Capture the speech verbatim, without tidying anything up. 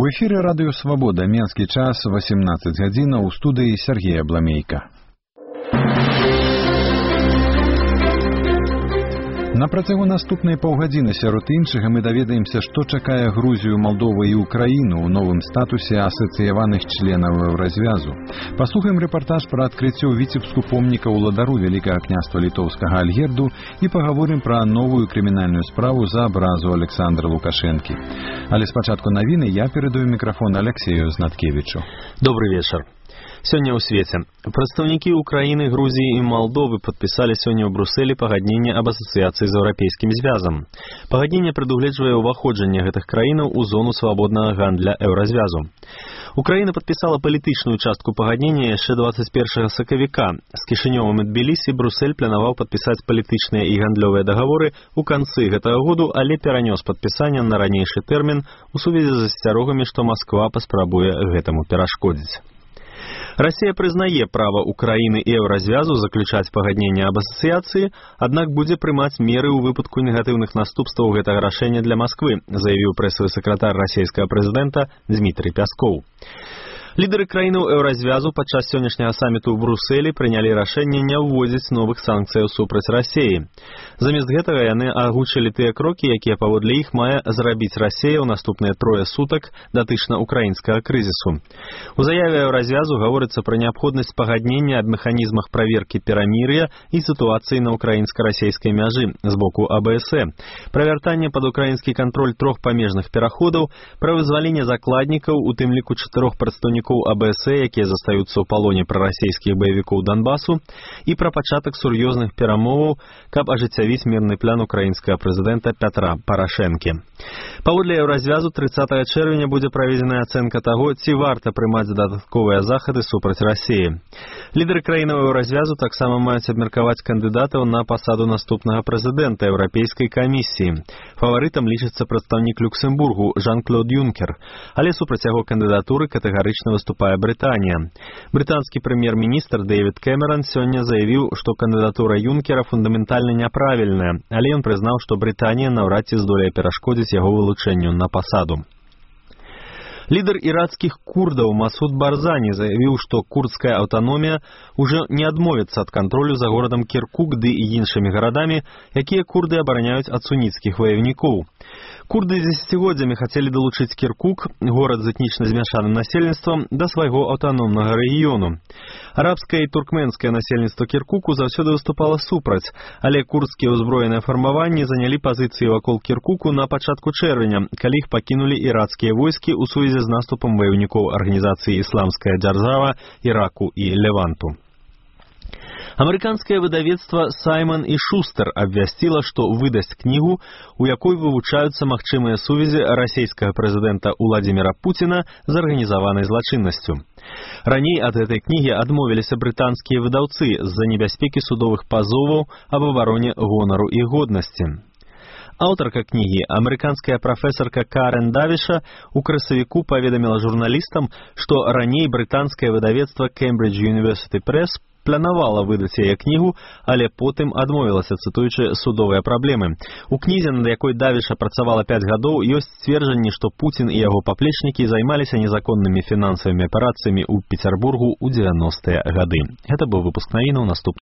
В эфире радио «Свобода», Менский час, восемнадцать гадзінаў, у студии Сергей Абламейко. На працягу наступнай паўгадзіны сярод іншага мы даведаемся, што чакае Грузію, Молдову і Украіну ў новым статусе асацыяваных членаў Еўразвязу. Паслухаем рэпартаж пра адкрыццё ў Віцебску помніка ўладару Вялікага княства літоўскага Альгерду і пагаворым пра новую крымінальную справу за абразу Александра Лукашэнкі. Але спачатку навіны я перадаю мікрафон Алексею Знаткевічу. Добрый вечер. Сёння ў свеце. Прадстаўнікі Украіны, Грузіі і Малдовы падпісалі сёння ў Брусэлі пагадненне аб асацыяцыі з Еўрапейскім звязам. Пагадненне прадугледжвае ўваходжанне гэтых краінаў у зону свабоднага гандля Еўразвязу. Украіна падпісала палітычную частку пагаднення яшчэ дваццаць першага сакавіка. З Кішынёвым і Тбілісі Брусэль планаваў падпісаць палітычныя і гандлёвыя дагаворы ў канцы гэтага году, але перанёс падпісанне на ранейшы тэрмін у сувязі з асцярогамі, што Масква паспрабуе гэтаму перашкодзіць. Россия прызнае права Украины и Еўразвязу заключаць пагадненне аб асацыяцыі, аднак будзе прымаць меры ў выпадку негатыўных наступстваў гэтага рашэння для Москвы, заявіў прэсавы сакратар расійскага прэзідэнта Дмітрий Пяскоў. Лідары краінаў Еўразвязу падчас сённяшняга саміту ў Брусэлі прынялі рашэнне не ўводзіць новых санкцыяў супраць Расіі. Замест гэтага яны агучылі тыя крокі, якія паводле іх мае зрабіць Расія ў наступныя трое сутак датычна украінскага крызісу. У заяве Еўразвязу гаворыцца пра неабходнасць пагаднення аб механізмах праверкі перамір'я і сітуацыі на украінска-расійскай мяжы з боку А Бэ Эс Э, пра вяртанне пад украінскі кантроль трох памежных пераходаў, пра вызваленне закладнікаў, у тым ліку чатырох прадстаўнікоў А Бэ Эс Э, якія застаюцца ў палоне прарасійскіх баевікоў Донбасу, і пра пачатак сур'ёзных перамоваў, каб ажыццявіць мірны план украінскага прэзідэнта Пятра Парашэнкі. Паводле Еўразвязу трыццатага чэрвеня будзе праведзеная ацэнка таго, ці варта прымаць дадатковыя захады супраць Расіі. Лідары краінаў Еўразвязу таксама маюць абмеркаваць кандыдатаў на пасаду наступнага прэзідэнта Еўрапейскай камісіі. Фаварытам лічыцца прадстаўнік Люксембургу Жан-Клод Юнкер, але супраць яго кандыдатуры катэгарычна выступае Брытанія. Брытанскі прэм'ер-міністр Дэвід Кэмерон сёння заявіў, што кандыдатура Юнкера фундаментальна няправільная, але ён прызнаў, што Брытанія наўрад ці здолее перашкодзіць яго вылучэнню на пасаду. Лідар іракскіх курдаў Масуд Барзані заявіў, што курдская аўтаномія ўжо не адмовіцца ад кантролю за горадам Кіркук ды і іншымі гарадамі, якія курды абараняюць ад суніцкіх ваявнікоў. Курды дзесяцігоддзямі хацелі далучыць Кіркук, горад з этнічна змяшаным насельніцтвам, да свайго аўтаномнага рэгіёну. Арабскае і туркменскае насельніцтва Кіркуку заўсёды выступала супраць, але курдскія ўзброеныя фармаванні занялі пазіцыі вакол Кіркуку на пачатку чэрвеня, калі іх пакінулі іракскія войскі ў сувязі з наступам ваёўнікоў арганізацыі «Ісламская дзяржава», Іраку і Леванту. Амерыканскае выдавецтва «Саймон і Шустер» абвясціла, што выдасць кнігу, у якой вывучаюцца магчымыя сувязі расійскага прэзідэнта Уладзіміра Пуціна з арганізаванай злачыннасцю. Раней ад гэтай кнігі адмовіліся брытанскія выдаўцы з-за небяспекі судовых пазоваў аб абароне гонару і годнасці. Аўтарка кнігі, амерыканская прафесарка Карен Давіша, у красавіку паведаміла журналістам, што раней брытанскае выдавецтва Cambridge University Press планавала выдаць яе кнігу, але потым адмовілася, цытуючы судовыя праблемы. У кнізе, над якой Давіша працавала пяць гадоў, ёсць сцверджанні, што Пуцін і яго паплечнікі займаліся незаконнымі фінансавымі аперацыямі ў Пецярбургу ў дзевяностыя гады. Гэта быў выпуск навінаў, наступны